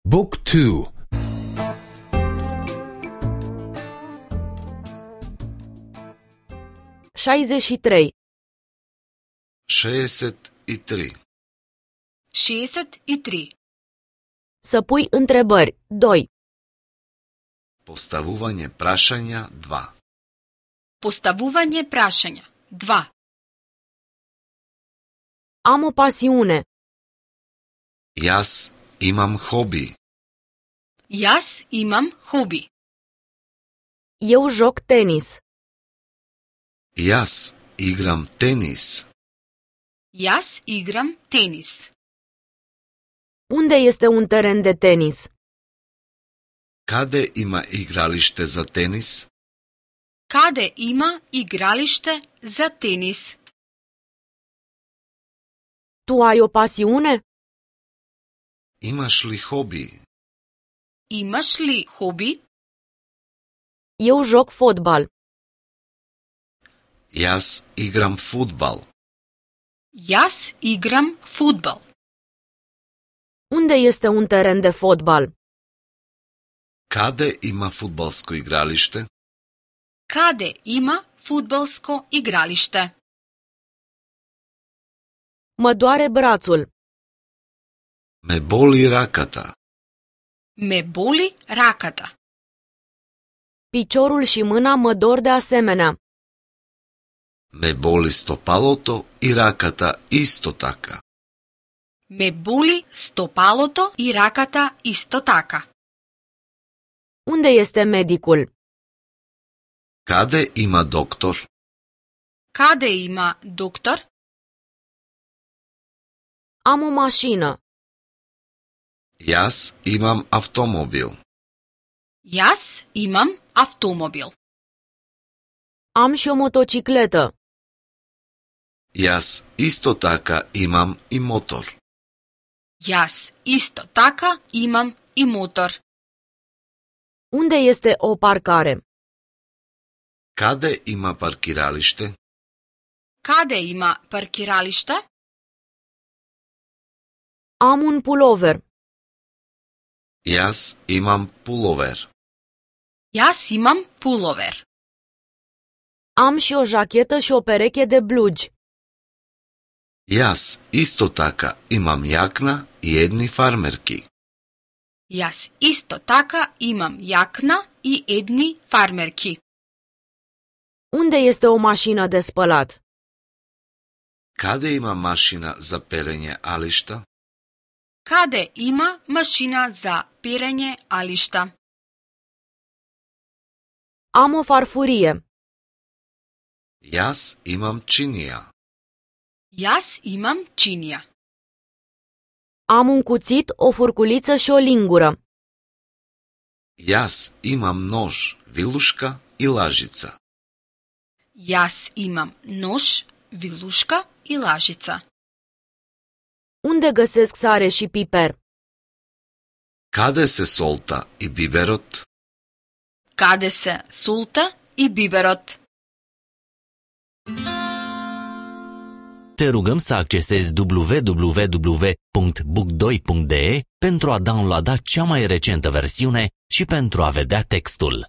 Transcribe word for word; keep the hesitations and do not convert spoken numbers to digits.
Book two. șaizeci și trei. šezdeset i tri. šezdeset i tri. Să pui întrebări. doi. Postavuvanje prašanja dva. Postavuvanje prašanja dva. Am o pasiune. Jaz imam hobi. Jaz imam hobi. Eu joc tenis. Jaz igram tenis. Jaz igram tenis. Unde este un teren de tenis? Kade ima igralište za tenis? Kade ima igralište za tenis? Tu ai o pasiune? Imaš li hobi? Imaš li hobi? Eu joc fotbal. Jaz igram fudbal. Jaz igram fudbal. Unde este un teren de fotbal? Kade ima fudbalsko igralište? Kade ima fudbalsko igralište? Mă doare brațul. Me boli rakata. Me boli rakata. Piciorul și mâna mă dor de asemenea. Me boli stopaloto i rakata isto така. Me boli stopalото и раката исто така. Unde este medicul? Kade ima doktor? Каде има доктор? Am o mașină. Jaz imam avtomobil. Јас имам автомобил. Am și o motocicletă. Jaz isto така imam i motor. Јас исто така имам и мотор. Unde este o parcare? Kade ima parkiralište? Каде има паркиралиште? Am un pulover. Jaz imam pulover. Јас имам пуловер. Am și o jachetă și o pereche de blugi. Jaz isto така imam jakna i jedni farmerki. Јас исто така имам јакна и едни фармерки. Unde este o mașină de spălat? Kade ima mašina za perenje ališta? Каде има машина за перење алишта? Am o farfurie. Jaz imam činija. Јас имам чинија. Am un cuțit, o furculiță și o lingură. Jaz imam nož, viluška i lažica. Јас имам нож, вилушка и лажица. Unde găsesc sare și piper? Kade se solta i biberot? Каде се султа и биберот? Te rugăm să accesezi w w w punct book doi punct d e pentru a downloada cea mai recentă versiune și pentru a vedea textul.